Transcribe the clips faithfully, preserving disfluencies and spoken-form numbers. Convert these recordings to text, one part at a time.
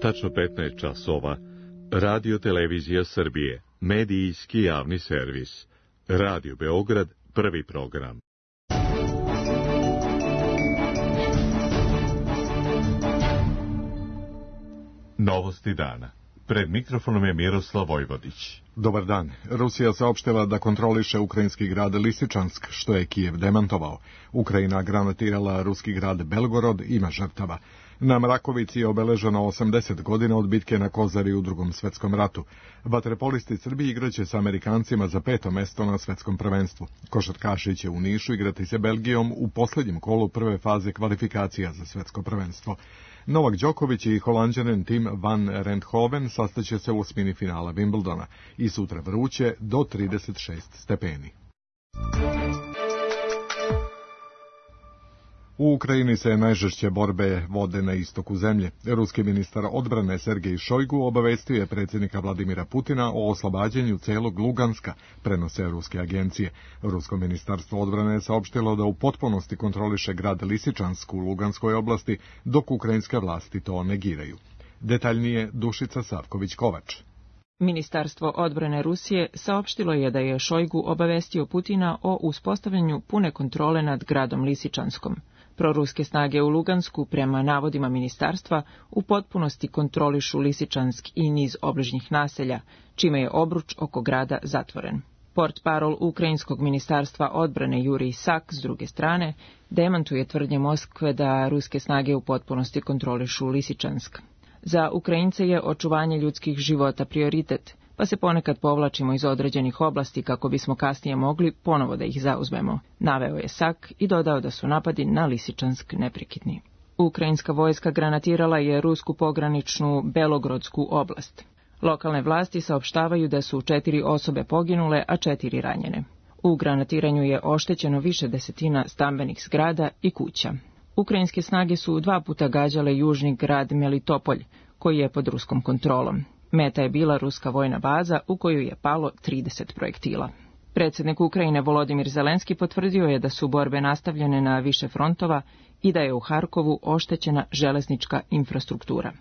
Tačno petnaest časova. Radio Televizija Srbije. Medijski javni servis. Radio Beograd, prvi program. Novosti dana. Pred mikrofonom je Miroslav Vojvodić. Dobar dan. Rusija saopštila da kontroliše ukrajinski grad Lisičansk, što je Kijev demantovao. Ukrajina granatirala ruski grad Belgorod, ima žrtava. Na Mrakovici je obeleženo osamdeset godina od bitke na Kozari u Drugom svetskom ratu. Vaterpolisti Srbije igraće sa Amerikancima za peto mesto na svetskom prvenstvu. Košarkaši će u Nišu igrati se Belgijom u posljednjem kolu prve faze kvalifikacija za svetsko prvenstvo. Novak Đoković i Holanđanin Tim van Renthoven sastaće se u osmini finala Wimbledona i sutra vruće do trideset šest stepeni. U Ukrajini se najžešće borbe vode na istoku zemlje. Ruski ministar odbrane Sergej Šojgu obavestio je predsjednika Vladimira Putina o oslobađanju celog Luganska, prenose ruske agencije. Rusko ministarstvo odbrane je saopštilo da u potpunosti kontroliše grad Lisičansk u Luganskoj oblasti, dok ukrajinske vlasti to negiraju. Detaljnije Dušica Savković-Kovač. Ministarstvo odbrane Rusije saopštilo je da je Šojgu obavestio Putina o uspostavljanju pune kontrole nad gradom Lisičanskom. Proruske snage u Lugansku, prema navodima ministarstva, u potpunosti kontrolišu Lisičansk i niz obližnjih naselja, čime je obruč oko grada zatvoren. Portparol Ukrajinskog ministarstva odbrane Jurij Sak, s druge strane, demantuje tvrdnje Moskve da ruske snage u potpunosti kontrolišu Lisičansk. Za Ukrajince je očuvanje ljudskih života prioritet, pa se ponekad povlačimo iz određenih oblasti kako bismo kasnije mogli ponovo da ih zauzmemo, naveo je Sak i dodao da su napadi na Lisičansk neprekidni. Ukrajinska vojska granatirala je rusku pograničnu Belogrodsku oblast. Lokalne vlasti saopštavaju da su četiri osobe poginule, a četiri ranjene. U granatiranju je oštećeno više desetina stambenih zgrada i kuća. Ukrajinske snage su dva puta gađale južni grad Melitopolj, koji je pod ruskom kontrolom. Meta je bila ruska vojna baza u koju je palo trideset projektila. Predsjednik Ukrajine Volodimir Zelenski potvrdio je da su borbe nastavljene na više frontova i da je u Harkovu oštećena železnička infrastruktura.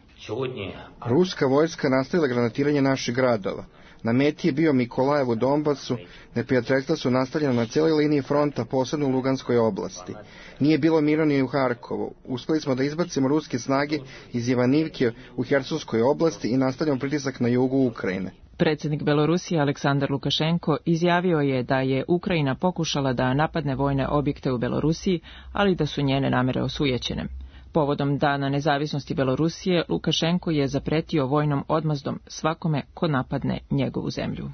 Ruska vojska nastavila granatiranje naših gradova. Na meti je bio Mikolajev u Donbasu, neprijateljstva su nastavljena na cijeloj liniji fronta, posebno u Luganskoj oblasti. Nije bilo mira ni u Harkovu. Uspjeli smo da izbacimo ruske snage iz Ivanivke u Hersonskoj oblasti i nastavljamo pritisak na jugu Ukrajine. Predsjednik Belorusije Aleksandar Lukašenko izjavio je da je Ukrajina pokušala da napadne vojne objekte u Belorusiji, ali da su njene namere osujećene. Povodom Dana nezavisnosti Belorusije, Lukašenko je zapretio vojnom odmazdom svakome ko napadne njegovu zemlju.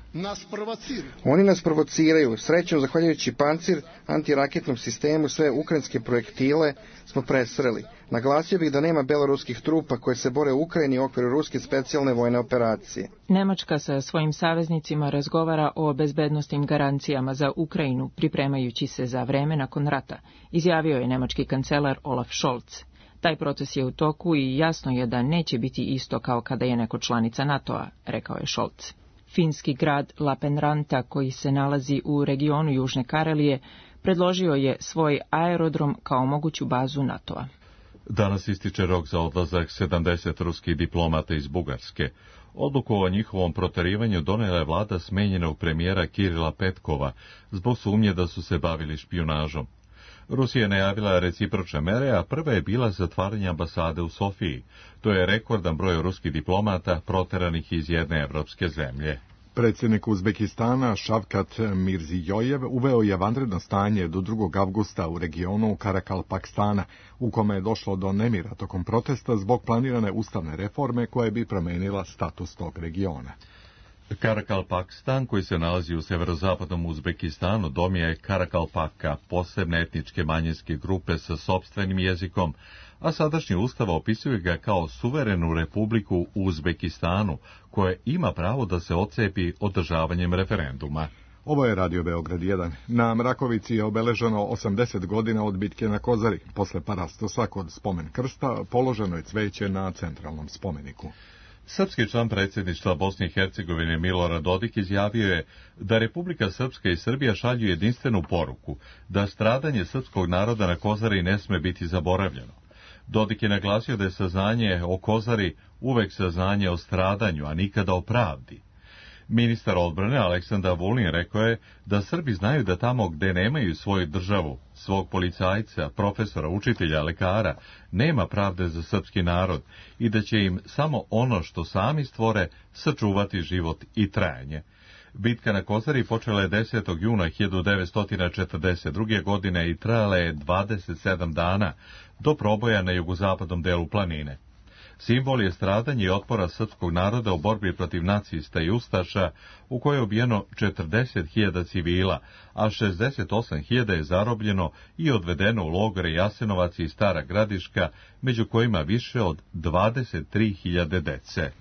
Oni nas provociraju. Srećom, zahvaljujući pancir, antiraketnom sistemu, sve ukrajinske projektile smo presreli. Naglasio bih da nema beloruskih trupa koje se bore u Ukrajini u okviru ruske specijalne vojne operacije. Nemačka sa svojim saveznicima razgovara o bezbednosnim garancijama za Ukrajinu, pripremajući se za vreme nakon rata, izjavio je nemački kancelar Olaf Scholz. Taj proces je u toku i jasno je da neće biti isto kao kada je neko članica NATO-a, rekao je Scholz. Finski grad Lappeenranta, koji se nalazi u regionu Južne Karelije, predložio je svoj aerodrom kao moguću bazu NATO-a. Danas ističe rok za odlazak sedamdeset ruskih diplomata iz Bugarske. Odluku o njihovom protjerivanju donijela je vlada smenjenog premijera Kirila Petkova zbog sumnje da su se bavili špijunažom. Rusija je najavila recipročne mere, a prva je bila zatvaranje ambasade u Sofiji. To je rekordan broj ruskih diplomata proteranih iz jedne evropske zemlje. Predsjednik Uzbekistana Šavkat Mirzijojev uveo je vanredno stanje do drugog avgusta u regionu Karakalpakstana, u kome je došlo do nemira tokom protesta zbog planirane ustavne reforme koje bi promijenila status tog regiona. Karakalpakstan, koji se nalazi u severozapadnom Uzbekistanu, dom je Karakalpaka, posebne etničke manjinske grupe sa sopstvenim jezikom, a sadašnji ustav opisuje ga kao suverenu republiku u Uzbekistanu, koje ima pravo da se odcepi održavanjem referenduma. Ovo je Radio Beograd jedan. Na Mrakovici je obeleženo osamdeset godina od bitke na Kozari. Posle parastosa kod spomen krsta položeno je cveće na centralnom spomeniku. Srpski član predsjedništva Bosne i Hercegovine Milorad Dodik izjavio je da Republika Srpska i Srbija šalju jedinstvenu poruku, da stradanje srpskog naroda na Kozari ne sme biti zaboravljeno. Dodik je naglasio da je saznanje o Kozari uvek saznanje o stradanju, a nikada o pravdi. Ministar odbrane Aleksandar Vulin rekao je da Srbi znaju da tamo gde nemaju svoju državu, svog policajca, profesora, učitelja, lekara, nema pravde za srpski narod i da će im samo ono što sami stvore sačuvati život i trajanje. Bitka na Kozari počela je desetog juna hiljadu devetsto četrdeset druge. godine i trajala je dvadeset sedam dana do proboja na jugozapadnom delu planine. Simbol je stradanje i otpora srpskog naroda u borbi protiv nacista i ustaša, u kojoj je ubijeno četrdeset hiljada civila, a šezdeset osam hiljada je zarobljeno i odvedeno u logore Jasenovac i Stara Gradiška, među kojima više od dvadeset tri hiljade dece.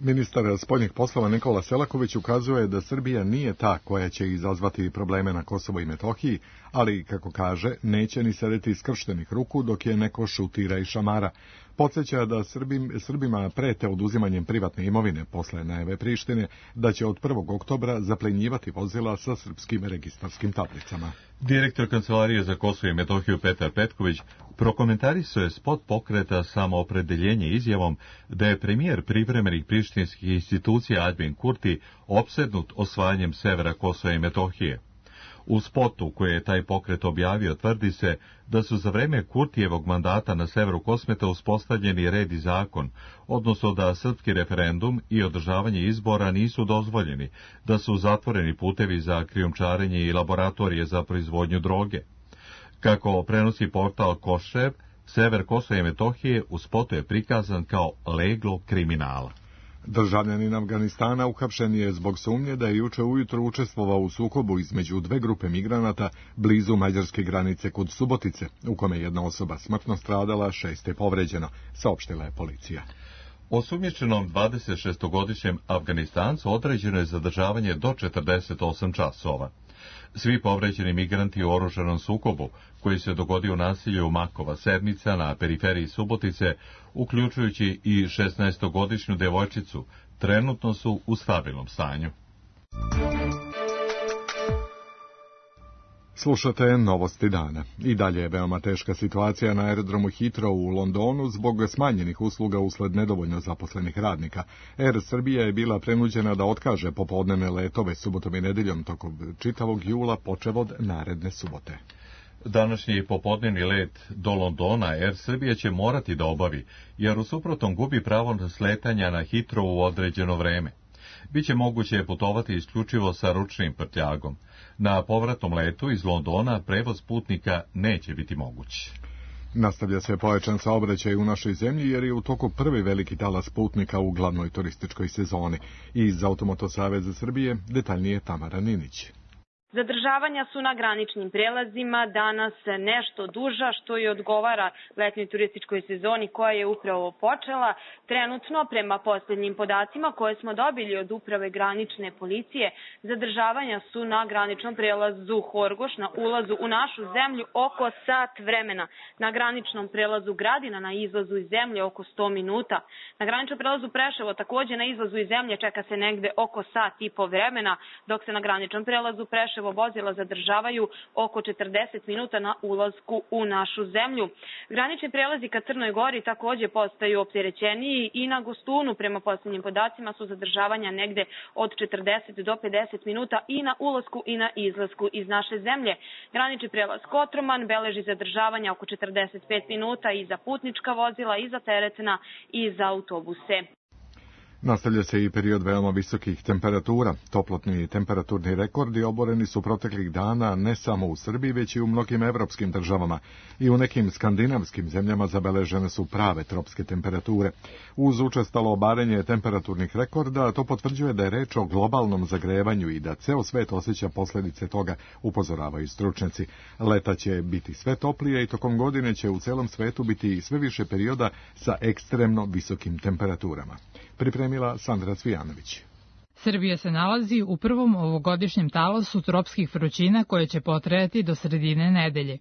Ministar spoljnih poslova Nikola Selaković ukazuje da Srbija nije ta koja će izazvati probleme na Kosovo i Metohiji, ali, kako kaže, neće ni sedeti skrštenih ruku dok je neko šutira i šamara. Podsjeća da Srbim, Srbima prete oduzimanjem privatne imovine posle najave Prištine, da će od prvog oktobra zaplenjivati vozila sa srpskim registarskim tablicama. Direktor Kancelarije za Kosovo i Metohiju Petar Petković prokomentarisao je spot pokreta Samoopredeljenje izjavom da je premijer privremenih prištinskih institucija Aljbin Kurti opsednut osvajanjem severa Kosova i Metohije. U spotu koje je taj pokret objavio tvrdi se da su za vreme Kurtijevog mandata na severu Kosmeta uspostavljeni red i zakon, odnosno da srpski referendum i održavanje izbora nisu dozvoljeni, da su zatvoreni putevi za krijumčarenje i laboratorije za proizvodnju droge. Kako prenosi portal Košev, sever Kosova i Metohije u spotu je prikazan kao leglo kriminala. Državljanin Afganistana uhapšen je zbog sumnje da je juče ujutro učestvovao u sukobu između dve grupe migranata blizu mađarske granice kod Subotice, u kome je jedna osoba smrtno stradala, šest je povređeno, saopštila je policija. Osumnjičenom dvadesetšestogodišnjem Afganistancu određeno je zadržavanje do četrdeset osam časova. Svi povređeni migranti u oružanom sukobu, koji se dogodio u nasilju Makova Sedmica na periferiji Subotice, uključujući i šesnaestogodišnju devojčicu, trenutno su u stabilnom stanju. Slušate novosti dana. I dalje je veoma teška situacija na aerodromu Heathrow u Londonu zbog smanjenih usluga usled nedovoljno zaposlenih radnika. Air Srbija je bila prenuđena da otkaže popodnevne letove subotom i nedeljom tokom čitavog jula počev od naredne subote. Današnji popodnevni let do Londona Air Srbija će morati da obavi, jer u suprotnom gubi pravo na sletanja na Heathrow u određeno vreme. Biće moguće putovati isključivo sa ručnim prtljagom. Na povratnom letu iz Londona prevoz putnika neće biti moguć. Nastavlja se pojačan saobraćaj u našoj zemlji jer je u toku prvi veliki talas putnika u glavnoj turističkoj sezoni. Iz Automoto Saveza Srbije detaljnije Tamara Ninić. Zadržavanja su na graničnim prelazima danas nešto duža, što i odgovara letnjoj turističkoj sezoni koja je upravo počela. Trenutno, prema posljednjim podacima koje smo dobili od Uprave granične policije, zadržavanja su na graničnom prelazu Horgoš na ulazu u našu zemlju oko sat vremena. Na graničnom prelazu Gradina na izlazu iz zemlje oko sto minuta. Na graničnom prelazu Preševo takođe na izlazu iz zemlje čeka se negde oko sat i po vremena, dok se na graničnom prelazu Preševo vozila zadržavaju oko četrdeset minuta na ulasku u našu zemlju. Granični prelazi ka Crnoj Gori takođe postaju opterećeniji i na Gostunu prema posljednjim podacima su zadržavanja negde od četrdeset do pedeset minuta i na ulasku i na izlasku iz naše zemlje. Granični prelaz Kotroman beleži zadržavanja oko četrdeset pet minuta i za putnička vozila, i za teretna, i za autobuse. Nastavlja se i period veoma visokih temperatura. Toplotni i temperaturni rekordi oboreni su proteklih dana ne samo u Srbiji, već i u mnogim evropskim državama. I u nekim skandinavskim zemljama zabeležene su prave tropske temperature. Uz učestalo obarenje temperaturnih rekorda, to potvrđuje da je reč o globalnom zagrevanju i da ceo svet osjeća posljedice toga, upozoravaju stručnjaci. Leta će biti sve toplije i tokom godine će u celom svetu biti sve više perioda sa ekstremno visokim temperaturama. Pripremila Sandra Cvijanović. Srbija se nalazi u prvom ovogodišnjem talasu tropskih vrućina koje će potrajati do sredine nedelje.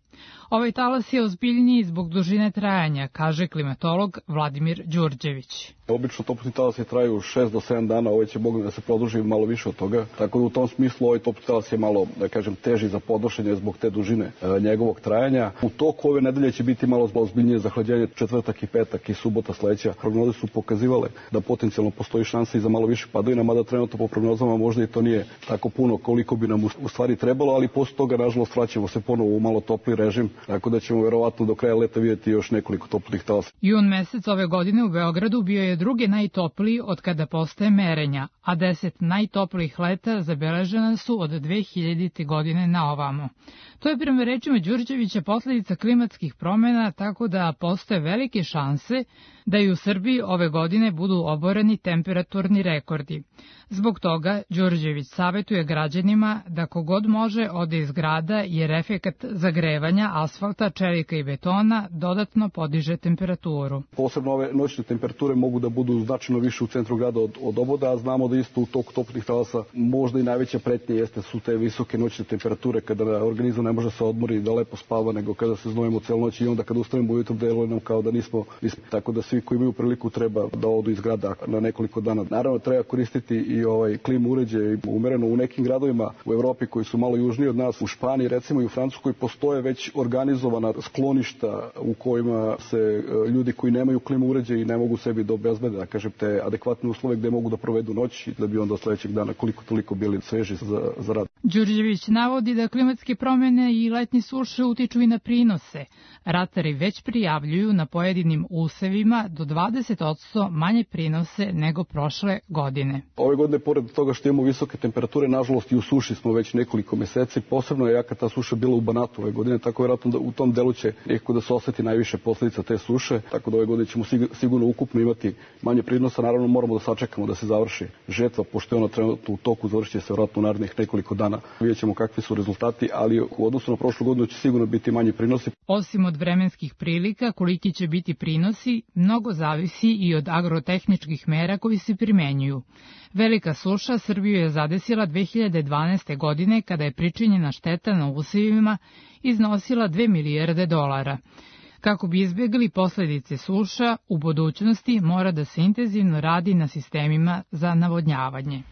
Ovaj talas je ozbiljniji zbog dužine trajanja, kaže klimatolog Vladimir Đurđević. Obično toplotni talasi traju šest do sedam dana, ovaj će mogu da se produži malo više od toga. Tako da u tom smislu ovaj toplotni talas je malo, da kažem, teži za podnošenje zbog te dužine e, njegovog trajanja. U toku ove nedelje će biti malo ozbiljnije zahlađenje, četvrtak i petak i subota sledeća. Prognoze su pokazivale da potencijalno postoji šansa i za malo više padavina, mada trenutno po prognozama možda i to nije tako puno koliko bi nam u stvari trebalo, ali posle toga nažalost vraćamo se ponovo u malo topli režim, tako da ćemo verovatno do kraja leta vidjeti još nekoliko toplih talasa. Jun mesec ove godine u Beogradu bio je drugi najtopliji od kada postoje merenja, a deset najtoplijih leta zabeležena su od dve hiljadite. godine na ovamo. To je prema rečima Đurđevića posledica klimatskih promjena, tako da postoje velike šanse da i u Srbiji ove godine budu oboreni temperaturni rekordi. Zbog toga Đurđević savjetuje građanima da kogod može ode iz grada jer efekat zagrevanja asfalta, čelika i betona dodatno podiže temperaturu. Posebno ove noćne temperature mogu da budu značajno više u centru grada od, od oboda, a znamo da isto u toku toplih talasa možda i najveća pretnja jeste su te visoke noćne temperature kada organizam ne može se odmori da lepo spava, nego kada se znojimo celu noć i onda kada ustanemo ujutro deluje nam kao da nismo, nismo. Tako da svi koji imaju priliku treba da odu iz grada na nekoliko dana. Naravno treba koristiti i ovaj klimu uređaj umereno u nekim gradovima u Evropi koji su malo južniji od nas, u Španiji recimo i u Francuskoj postoje već organizovana skloništa u kojima se ljudi koji nemaju klimu uređaj i ne mogu sebi da obezbede, da kažem, te adekvatne uslove gde mogu da provedu noć i da bi onda sledećeg dana koliko toliko bili sveži za, za rad. Đurđević navodi da klimatske promjene i letnje suše utiču i na prinose. Ratari već prijavljuju na pojedinim usevima do dvadeset posto manje prinose nego prošle godine. Ove godine, pored toga što imamo visoke temperature, nažalost i u suši smo već nekoliko meseci. Posebno je jaka ta suša bila u Banatu ove godine, tako vjerojatno da u tom delu će nekako da se oseti najviše posljedica te suše. Tako da ove godine ćemo sigurno ukupno imati manje prinosa. Naravno moramo da sačekamo da se završi žetva, pošto je ona trenutno u toku, završit će se vjerojatno u narednih nekoliko dana. Vidjet ćemo kakvi su rezultati, ali u odnosu na prošlu godinu će sigurno biti manji prinosi. Osim od vremenskih prilika, koliki će biti prinosi, mnogo zavisi i od agrotehničkih mera koji se primenjuju. Velika suša Srbiju je zadesila dve hiljade dvanaeste. godine kada je pričinjena šteta na usevima iznosila dve milijarde dolara. Kako bi izbjegli posljedice suša, u budućnosti mora da se intenzivno radi na sistemima za navodnjavanje.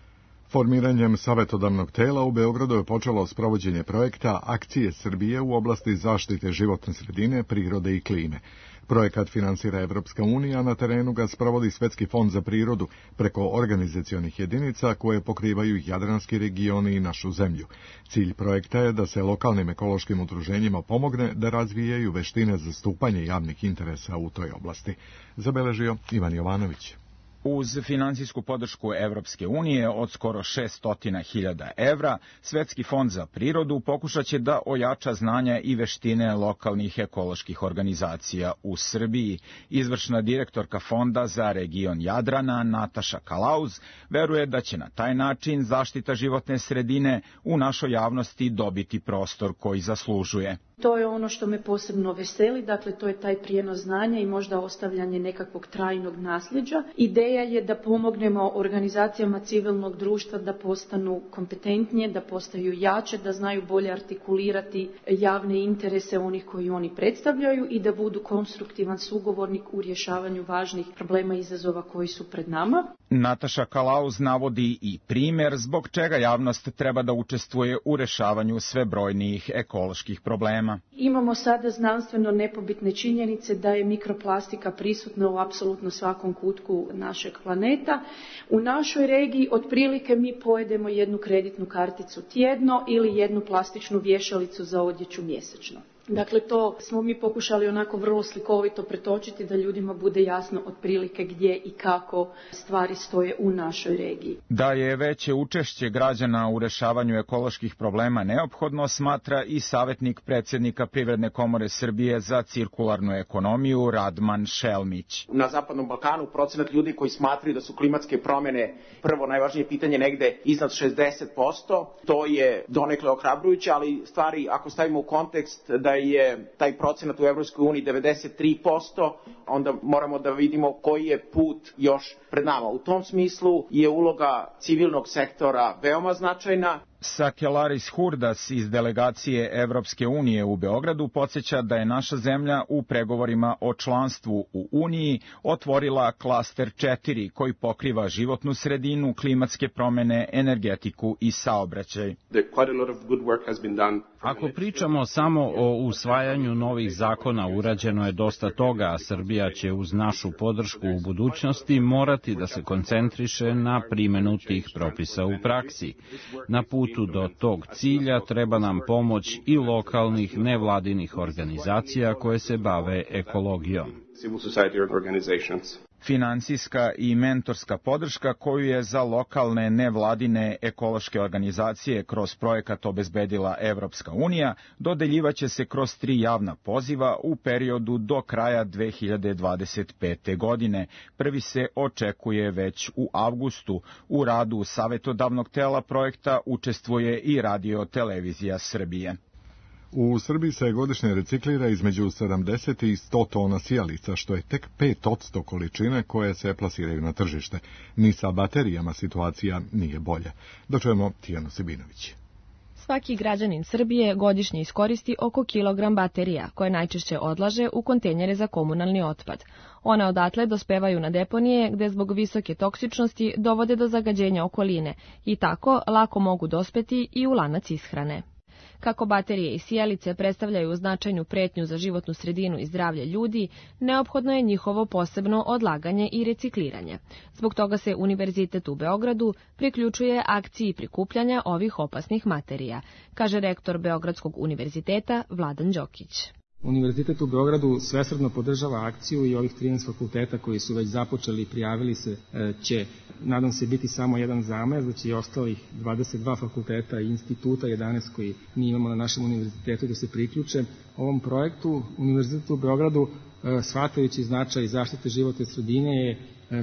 Formiranjem savjetodavnog tela u Beogradu je počelo sprovođenje projekta Akcije Srbije u oblasti zaštite životne sredine, prirode i klime. Projekat finansira Evropska unija, a na terenu ga sprovodi Svetski fond za prirodu preko organizacionih jedinica koje pokrivaju jadranski regioni i našu zemlju. Cilj projekta je da se lokalnim ekološkim udruženjima pomogne da razvijaju veštine zastupanja javnih interesa u toj oblasti. Zabeležio Ivan Jovanović. Uz finansijsku podršku Evropske unije od skoro šesto hiljada evra, Svetski fond za prirodu pokušat će da ojača znanja i veštine lokalnih ekoloških organizacija u Srbiji. Izvršna direktorka Fonda za region Jadrana, Nataša Kalauz, veruje da će na taj način zaštita životne sredine u našoj javnosti dobiti prostor koji zaslužuje. To je ono što me posebno veseli, dakle to je taj prijenos znanja i možda ostavljanje nekakvog trajnog nasljeđa. Ideja je da pomognemo organizacijama civilnog društva da postanu kompetentnije, da postaju jače, da znaju bolje artikulirati javne interese onih koji oni predstavljaju i da budu konstruktivan sugovornik u rješavanju važnih problema i izazova koji su pred nama. Nataša Kalauz navodi i primjer zbog čega javnost treba da učestvuje u rešavanju sve brojnijih ekoloških problema. Imamo sada znanstveno nepobitne činjenice da je mikroplastika prisutna u apsolutno svakom kutku našeg planeta. U našoj regiji otprilike mi pojedemo jednu kreditnu karticu tjedno ili jednu plastičnu vješalicu za odjeću mjesečno. Dakle, to smo mi pokušali onako vrlo slikovito pretočiti da ljudima bude jasno otprilike gdje i kako stvari stoje u našoj regiji. Da je veće učešće građana u rešavanju ekoloških problema neophodno, smatra i savjetnik predsjednika Privredne komore Srbije za cirkularnu ekonomiju Radman Šelmić. Na Zapadnom Balkanu procenat ljudi koji smatraju da su klimatske promjene prvo najvažnije pitanje negde iznad šezdeset posto. To je donekle ohrabrujuće, ali stvari ako stavimo u kontekst da je taj procenat u Evropskoj uniji devedeset tri posto, onda moramo da vidimo koji je put još pred nama. U tom smislu je uloga civilnog sektora veoma značajna. Sakelaris Hurdas iz delegacije Evropske unije u Beogradu podsjeća da je naša zemlja u pregovorima o članstvu u Uniji otvorila klaster četiri koji pokriva životnu sredinu, klimatske promene, energetiku i saobraćaj. Ako pričamo samo o usvajanju novih zakona, urađeno je dosta toga, a Srbija će uz našu podršku u budućnosti morati da se koncentriše na primenu tih propisa u praksi. Na putu do tog cilja treba nam pomoć i lokalnih nevladinih organizacija koje se bave ekologijom. Finansijska i mentorska podrška koju je za lokalne nevladine ekološke organizacije kroz projekat obezbedila Evropska unija dodeljivaće se kroz tri javna poziva u periodu do kraja dve hiljade dvadeset pete. godine. Prvi se očekuje već u avgustu. U radu savetodavnog tela projekta učestvuje i Radio Televizija Srbije. U Srbiji se godišnje reciklira između sedamdeset i sto tona sijalica, što je tek pet posto količine koje se plasiraju na tržište. Ni sa baterijama situacija nije bolja. Dočujemo Tijanu Sibinović. Svaki građanin Srbije godišnje iskoristi oko kilogram baterija, koje najčešće odlaže u kontejnere za komunalni otpad. One odatle dospevaju na deponije, gde zbog visoke toksičnosti dovode do zagađenja okoline i tako lako mogu dospeti i u lanac ishrane. Kako baterije i sijalice predstavljaju značajnu pretnju za životnu sredinu i zdravlje ljudi, neophodno je njihovo posebno odlaganje i recikliranje. Zbog toga se Univerzitet u Beogradu priključuje akciji prikupljanja ovih opasnih materija, kaže rektor Beogradskog univerziteta Vladan Đokić. Univerzitet u Beogradu svesrdno podržava akciju i ovih trinaest fakulteta koji su već započeli i prijavili se će, nadam se, biti samo jedan zamah, da će i ostalih dvadeset dva fakulteta i instituta, jedanaest koji mi imamo na našem univerzitetu, da se priključe ovom projektu. Univerzitet u Beogradu, shvatajući značaj zaštite životne sredine, je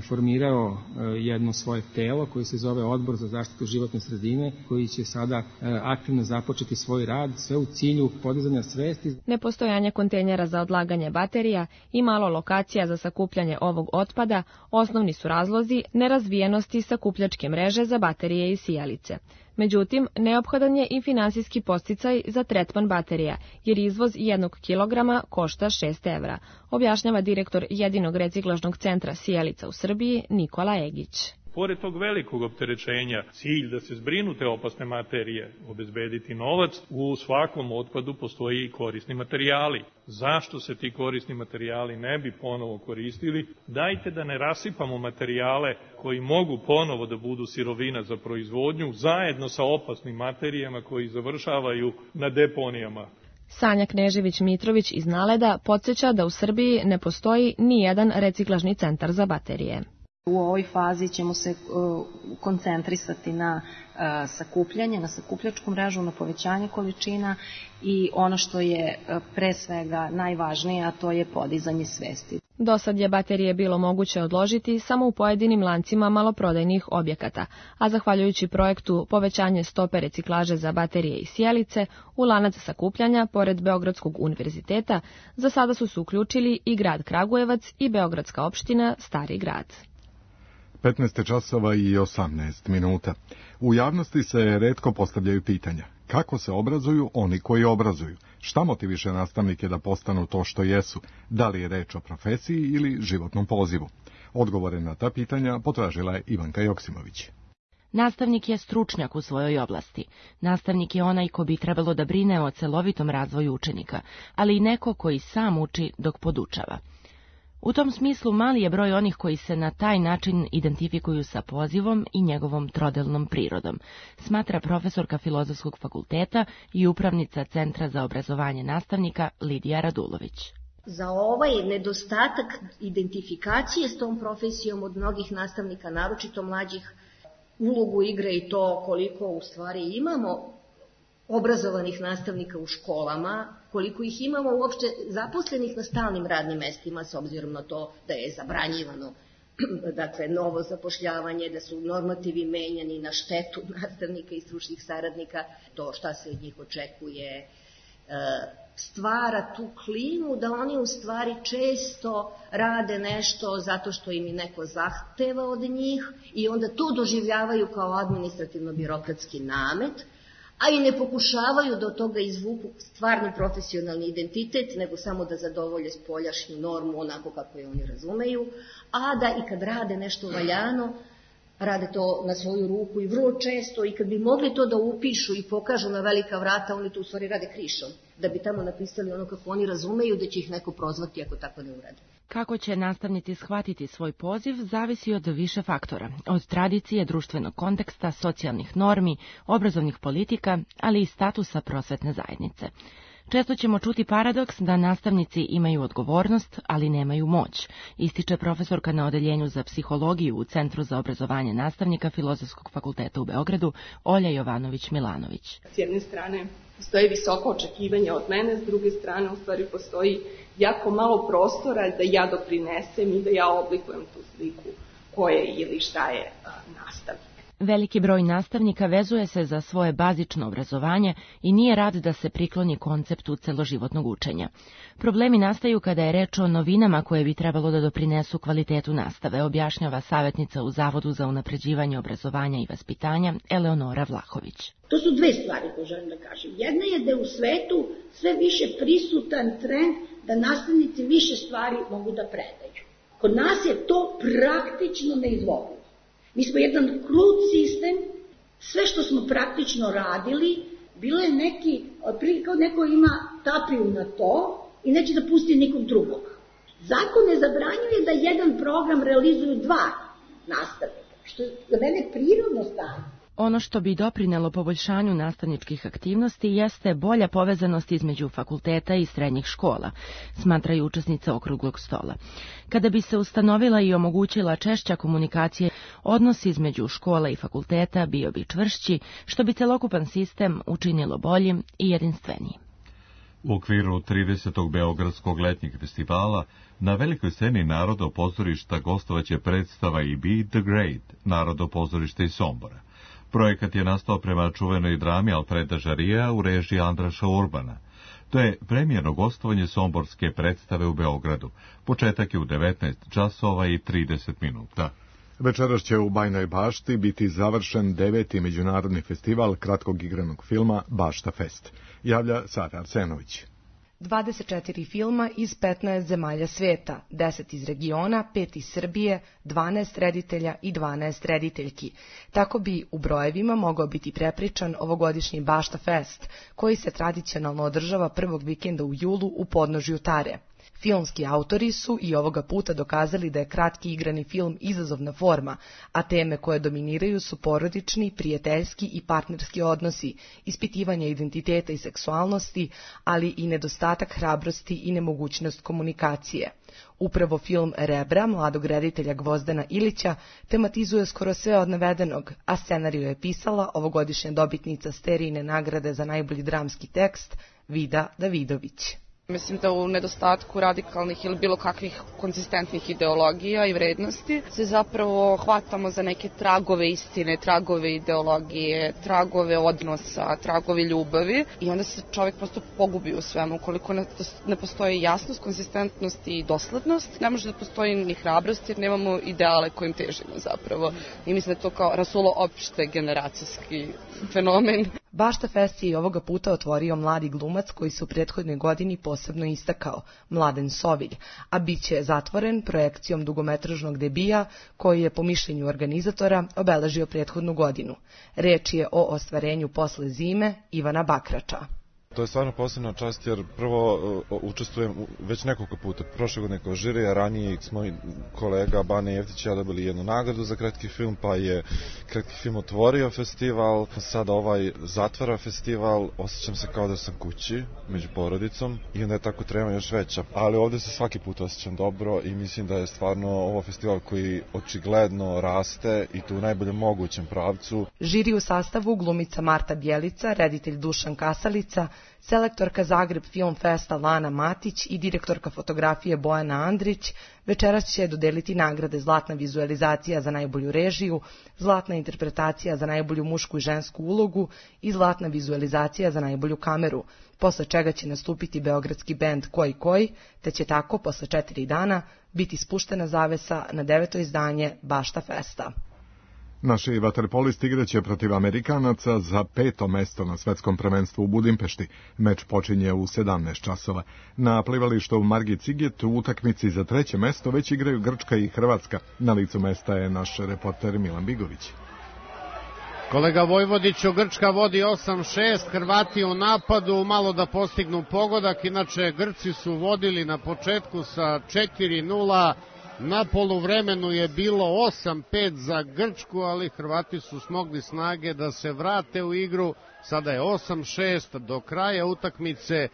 formirao jedno svoje telo koji se zove Odbor za zaštitu životne sredine, koji će sada aktivno započeti svoj rad, sve u cilju podizanja svesti. Nepostojanje kontejnera za odlaganje baterija i malo lokacija za sakupljanje ovog otpada osnovni su razlozi nerazvijenosti sakupljačke mreže za baterije i sijalice. Međutim, neophodan je i finansijski podsticaj za tretman baterija, jer izvoz jednog kilograma košta šest evra, objašnjava direktor jedinog reciklažnog centra sijalica u Srbiji Nikola Egić. Pored tog velikog opterećenja, cilj da se zbrinu te opasne materije, obezbediti novac, u svakom otpadu postoji i korisni materijali. Zašto se ti korisni materijali ne bi ponovo koristili? Dajte da ne rasipamo materijale koji mogu ponovo da budu sirovina za proizvodnju, zajedno sa opasnim materijama koji završavaju na deponijama. Sanja Knežević-Mitrović iz Naleda podsjeća da u Srbiji ne postoji ni jedan reciklažni centar za baterije. U ovoj fazi ćemo se uh, koncentrisati na uh, sakupljanje, na sakupljačku mrežu, na povećanje količina i ono što je uh, pre svega najvažnije, a to je podizanje svesti. Do sad je baterije bilo moguće odložiti samo u pojedinim lancima maloprodajnih objekata, a zahvaljujući projektu povećanje stope reciklaže za baterije i sijalice, u lanac sakupljanja, pored Beogradskog univerziteta, za sada su se uključili i grad Kragujevac i Beogradska opština Stari grad. petnaest časova i osamnaest minuta. U javnosti se retko postavljaju pitanja. Kako se obrazuju oni koji obrazuju? Šta motiviše nastavnike da postanu to što jesu? Da li je reč o profesiji ili životnom pozivu? Odgovore na ta pitanja potražila je Ivanka Joksimović. Nastavnik je stručnjak u svojoj oblasti. Nastavnik je onaj ko bi trebalo da brine o celovitom razvoju učenika, ali i neko koji sam uči dok podučava. U tom smislu mali je broj onih koji se na taj način identifikuju sa pozivom i njegovom trodelnom prirodom, smatra profesorka Filozofskog fakulteta i upravnica Centra za obrazovanje nastavnika Lidija Radulović. Za ovaj nedostatak identifikacije s tom profesijom od mnogih nastavnika, naročito mlađih, ulogu igre i to koliko u stvari imamo obrazovanih nastavnika u školama, koliko ih imamo uopšte zaposlenih na stalnim radnim mestima, s obzirom na to da je zabranjivano dakle, novo zapošljavanje, da su normativi menjani na štetu nastavnika i stručnih saradnika, to šta se od njih očekuje, stvara tu klimu da oni u stvari često rade nešto zato što im je neko zahteva od njih i onda to doživljavaju kao administrativno-birokratski namet, a i ne pokušavaju da od toga izvuku stvarno profesionalni identitet, nego samo da zadovolje spoljašnju normu onako kako je oni razumeju, a da i kad rade nešto valjano, rade to na svoju ruku i vrlo često, i kad bi mogli to da upišu i pokažu na velika vrata, oni to u stvari rade krišom, da bi tamo napisali ono kako oni razumeju, da će ih neko prozvati ako tako ne urade. Kako će nastavnici shvatiti svoj poziv zavisi od više faktora, od tradicije, društvenog konteksta, socijalnih normi, obrazovnih politika, ali i statusa prosvetne zajednice. Često ćemo čuti paradoks da nastavnici imaju odgovornost, ali nemaju moć, ističe profesorka na odeljenju za psihologiju u Centru za obrazovanje nastavnika Filozofskog fakulteta u Beogradu, Olja Jovanović-Milanović. S jedne strane postoji visoko očekivanje od mene, s druge strane u stvari postoji jako malo prostora da ja doprinesem i da ja oblikujem tu sliku koje ili šta je nastavnik. Veliki broj nastavnika vezuje se za svoje bazično obrazovanje i nije rad da se prikloni konceptu celoživotnog učenja. Problemi nastaju kada je reč o novinama koje bi trebalo da doprinesu kvalitetu nastave, objašnjava savjetnica u Zavodu za unapređivanje obrazovanja i vaspitanja Eleonora Vlahović. To su dve stvari koje želim da kažem. Jedna je da je u svetu sve više prisutan trend da nastavnici više stvari mogu da predaju. Kod nas je to praktično neizvodljivo. Mi smo jedan krut sistem, sve što smo praktično radili, bilo je neki, otprilike kao neko ima tapiju na to i neće da pusti nikom drugog. Zakon ne zabranjuje da jedan program realizuju dva nastavnika, što je za mene prirodno stanje. Ono što bi doprinelo poboljšanju nastavničkih aktivnosti jeste bolja povezanost između fakulteta i srednjih škola, smatraju učesnice okruglog stola. Kada bi se ustanovila i omogućila češća komunikacija, odnos između škola i fakulteta bio bi čvršći, što bi celokupan sistem učinilo boljim i jedinstvenijim. U okviru tridesetog Beogradskog letnjeg festivala na velikoj sceni Narodno pozorišta gostovaće predstava i Be the Great, Narodno pozorište iz Sombora. Projekat je nastao prema čuvenoj drami Alfreda Žarija u režiji Andraša Urbana. To je premijerno gostovanje somborske predstave u Beogradu. Početak je u devetnaest časova i trideset minuta. Večeras će u Bajnoj Bašti biti završen deveti međunarodni festival kratkog igranog filma Bašta Fest. Javlja Sara Arsenović. dvadeset četiri filma iz petnaest zemalja sveta, deset iz regiona, pet iz Srbije, dvanaest reditelja i dvanaest rediteljki. Tako bi u brojevima mogao biti prepričan ovogodišnji Bašta Fest, koji se tradicionalno održava prvog vikenda u julu u podnožju Tare. Filmski autori su i ovoga puta dokazali da je kratki igrani film izazovna forma, a teme koje dominiraju su porodični, prijateljski i partnerski odnosi, ispitivanje identiteta i seksualnosti, ali i nedostatak hrabrosti i nemogućnost komunikacije. Upravo film Rebra, mladog reditelja Gvozdana Ilića, tematizuje skoro sve od navedenog, a scenariju je pisala ovogodišnja dobitnica Sterijine nagrade za najbolji dramski tekst Vida Davidović. Mislim da u nedostatku radikalnih ili bilo kakvih konzistentnih ideologija i vrednosti se zapravo hvatamo za neke tragove istine, tragove ideologije, tragove odnosa, tragove ljubavi i onda se čovjek prosto pogubi u svemu. Ukoliko ne postoji jasnost, konzistentnost i doslednost, ne može da postoji ni hrabrost jer nemamo ideale kojim težimo zapravo. I mislim da je to kao rasulo opšte generacijski fenomen. Bašta Fest je i ovoga puta otvorio mladi glumac koji se u prethodnoj godini posebno istakao, Mladen Sovilj, a bit će zatvoren projekcijom dugometražnog debija koji je po mišljenju organizatora obeležio prethodnu godinu. Reč je o ostvarenju posle zime Ivana Bakrača. To je stvarno posebna čast jer prvo uh, učestvujem već nekoliko puta. Prošle godine kao žiri, a ranije smo kolega Bane Jeftić i ja dobili jednu nagradu za kratki film, pa je kratki film otvorio festival, sada ovaj zatvara festival, osjećam se kao da sam kući među porodicom i onda je tako trema još veća. Ali ovdje se svaki put osjećam dobro i mislim da je stvarno ovo festival koji očigledno raste i to u najboljem mogućem pravcu. Žiri u sastavu glumica Marta Bjelica, reditelj Dušan Kasalica, selektorka Zagreb Film Festa Lana Matić i direktorka fotografije Bojana Andrić večeras će dodeliti nagrade Zlatna vizualizacija za najbolju režiju, Zlatna interpretacija za najbolju mušku i žensku ulogu i Zlatna vizualizacija za najbolju kameru, posle čega će nastupiti beogradski bend Koji Koji, te će tako posle četiri dana biti spuštena zavesa na deveto izdanje Bašta Festa. Naši vaterpolisti igraće protiv Amerikanaca za peto mesto na svetskom prvenstvu u Budimpešti. Meč počinje u sedamnaest časova. Na plivalištu Margit Ciget u utakmici za treće mesto već igraju Grčka i Hrvatska. Na licu mesta je naš reporter Milan Bigović. Kolega Vojvodiću, Grčka vodi osam šest, Hrvati u napadu, malo da postignu pogodak, inače Grci su vodili na početku sa četiri nula, na poluvremenu je bilo osam pet za Grčku, ali Hrvati su smogli snage da se vrate u igru, sada je osam šest, do kraja utakmice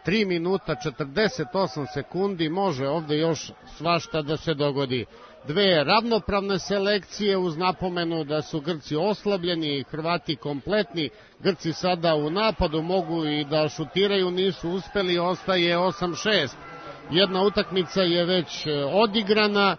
tri minuta četrdeset osam sekundi, može ovde još svašta da se dogodi. Dve ravnopravne selekcije uz napomenu da su Grci oslabljeni i Hrvati kompletni. Grci sada u napadu mogu i da šutiraju, nisu uspeli, ostaje osam šest. Jedna utakmica je već odigrana,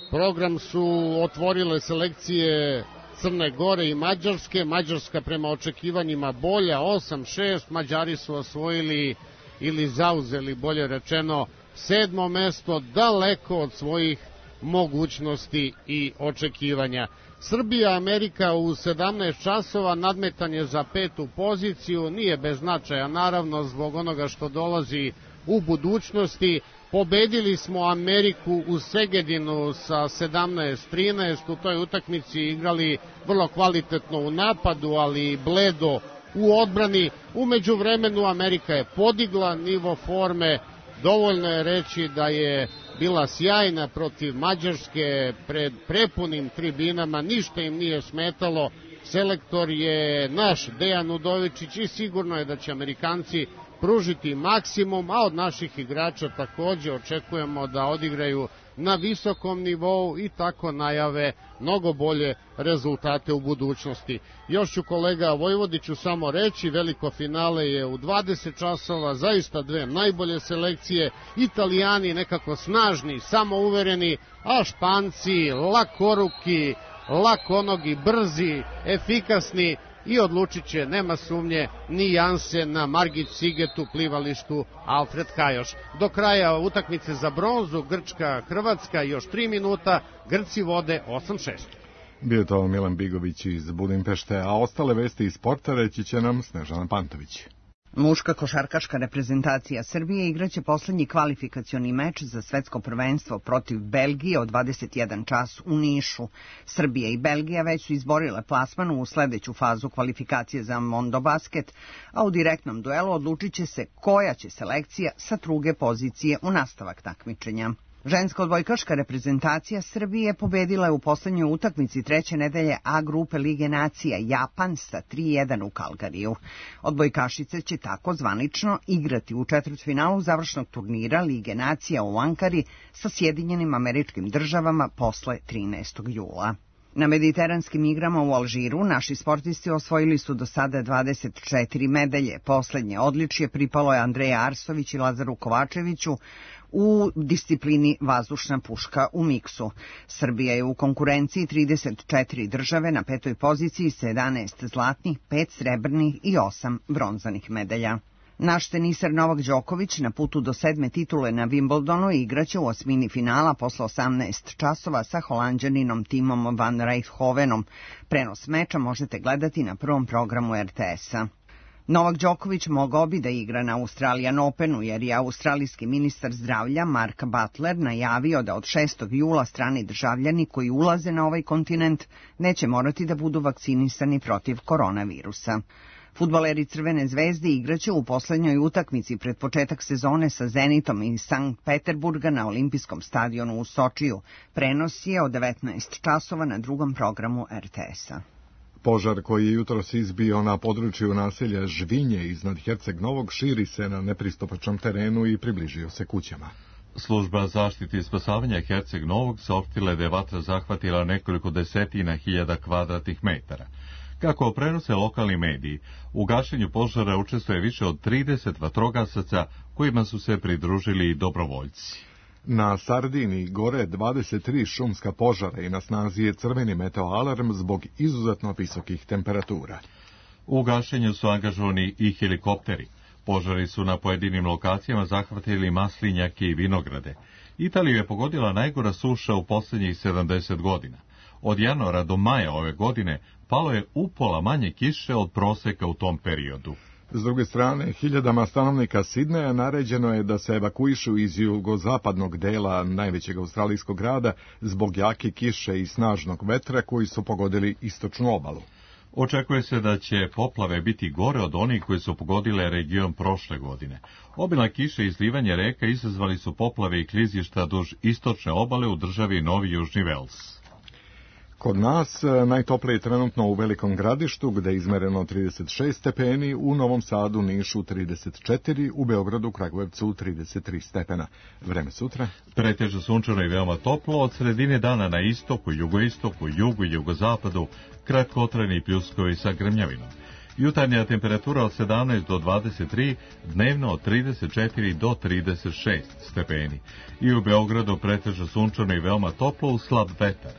program su otvorile selekcije Crne Gore i Mađarske, Mađarska prema očekivanjima bolja, osam šest, Mađari su osvojili ili zauzeli, bolje rečeno, sedmo mesto, daleko od svojih mogućnosti i očekivanja. Srbija, Amerika u sedamnaest časova, nadmetanje za petu poziciju, nije bez značaja, naravno zbog onoga što dolazi u budućnosti. Pobedili smo Ameriku u Segedinu sa sedamnaest trinaest, u toj utakmici igrali vrlo kvalitetno u napadu, ali bledo u odbrani. U međuvremenu Amerika je podigla nivo forme, dovoljno je reći da je bila sjajna protiv Mađarske pred prepunim tribinama, ništa im nije smetalo. Selektor je naš Dejan Udovičić i sigurno je da će Amerikanci pružiti maksimum, a od naših igrača takođe očekujemo da odigraju na visokom nivou i tako najave mnogo bolje rezultate u budućnosti. Još ću kolega Vojvodiću samo reći, veliko finale je u dvadeset časova, zaista dve najbolje selekcije, Italijani nekako snažni, samouvereni, a Španci lakoruki, lakonogi, brzi, efikasni, i odlučit će, nema sumnje, ni Jansen na Margit Cigetu, plivalištu Alfred Kajoš. Do kraja utakmice za bronzu Grčka, Hrvatska, još tri minuta, Grci vode osam šest. Bio to Milan Bigović iz Budimpešte, a ostale vesti iz sporta reći će nam Snežana Pantović. Muška košarkaška reprezentacija Srbije igraće poslednji kvalifikacioni meč za svetsko prvenstvo protiv Belgije od dvadeset jedan čas u Nišu. Srbija i Belgija već su izborile plasman u sledeću fazu kvalifikacije za Mondobasket, a u direktnom duelu odlučit će se koja će selekcija sa druge pozicije u nastavak takmičenja. Ženska odbojkaška reprezentacija Srbije pobedila je u poslednjoj utakmici treće nedelje A grupe Lige nacija Japan sa tri jedan u Kalgariju. Odbojkašice će tako zvanično igrati u četvrtfinalu završnog turnira Lige nacija u Ankari sa Sjedinjenim Američkim Državama posle trinaestog jula. Na mediteranskim igrama u Alžiru naši sportisti osvojili su do sada dvadeset četiri medalje. Poslednje odličje pripalo je Andreja Arsović i Lazaru Kovačeviću u disciplini vazdušna puška u miksu. Srbija je u konkurenciji trideset četiri države na petoj poziciji sa jedanaest zlatnih, pet srebrnih i osam bronzanih medalja. Naš teniser Novak Đoković na putu do sedme titule na Wimbledonu igraće u osmini finala posle osamnaest časova sa Holanđaninom Timom van Rijthovenom. Prenos meča možete gledati na prvom programu er te esa. Novak Đoković mogao bi da igra na Australian Openu jer je australijski ministar zdravlja Mark Butler najavio da od šestog jula strani državljani koji ulaze na ovaj kontinent neće morati da budu vakcinisani protiv koronavirusa. Fudbaleri Crvene zvezde igraće u poslednjoj utakmici pred početak sezone sa Zenitom iz Sankt Peterburga na olimpijskom stadionu u Sočiju. Prenos je od devetnaest časova na drugom programu er te esa. Požar koji je jutros izbio na području naselja Žvinje iznad Herceg Novog širi se na nepristupačnom terenu i približio se kućama. Služba zaštite i spasavanja Herceg Novog saopštila da je vatra zahvatila nekoliko desetina hiljada kvadratnih metara. Kako prenose lokalni mediji, u gašenju požara učestvuje više od trideset vatrogasaca kojima su se pridružili i dobrovoljci. Na Sardiniji gore dvadeset tri šumska požara i na snazi je crveni meteo alarm zbog izuzetno visokih temperatura. U gašenju su angažovani i helikopteri. Požari su na pojedinim lokacijama zahvatili maslinjake i vinograde. Italiju je pogodila najgora suša u posljednjih sedamdeset godina. Od januara do maja ove godine palo je upola manje kiše od proseka u tom periodu. S druge strane, hiljadama stanovnika Sidneja naređeno je da se evakuišu iz jugozapadnog dela najvećeg australijskog grada zbog jake kiše i snažnog vetra koji su pogodili istočnu obalu. Očekuje se da će poplave biti gore od onih koje su pogodile region prošle godine. Obilna kiša i izlivanje reka izazvali su poplave i klizišta duž istočne obale u državi Novi Južni Vels. Kod nas najtoplije je trenutno u Velikom Gradištu, gde je izmereno trideset šest stepeni, u Novom Sadu, Nišu trideset četiri, u Beogradu, Kragujevcu trideset tri stepena. Vreme sutra? Pretežno sunčano i veoma toplo, od sredine dana na istoku, jugoistoku, jugu i jugozapadu, kratkotrajni pljuskovi sa grmljavinom. Jutarnja temperatura od sedamnaest do dvadeset tri, dnevno od trideset četiri do trideset šest stepeni. I u Beogradu pretežno sunčano i veoma toplo uz slab vetar.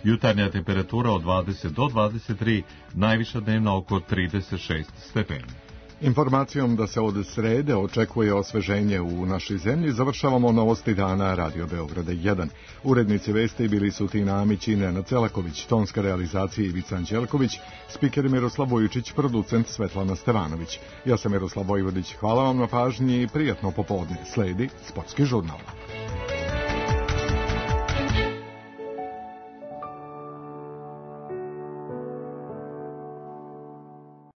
Jutarnja temperatura od dvadeset do dvadeset tri, najviša dnevna oko trideset šest stepeni. Informacijom da se od srede očekuje osveženje u našoj zemlji, završavamo novosti dana Radio Beograda jedan. Urednici vesti bili su Tina Amić i Nenad Celaković, tonska realizacija Ivica Anđelković, spiker Miroslav Vujičić, producent Svetlana Stevanović. Ja sam Miroslav Vojvodić, hvala vam na pažnji i prijatno popodne. Sledi Sportski žurnal.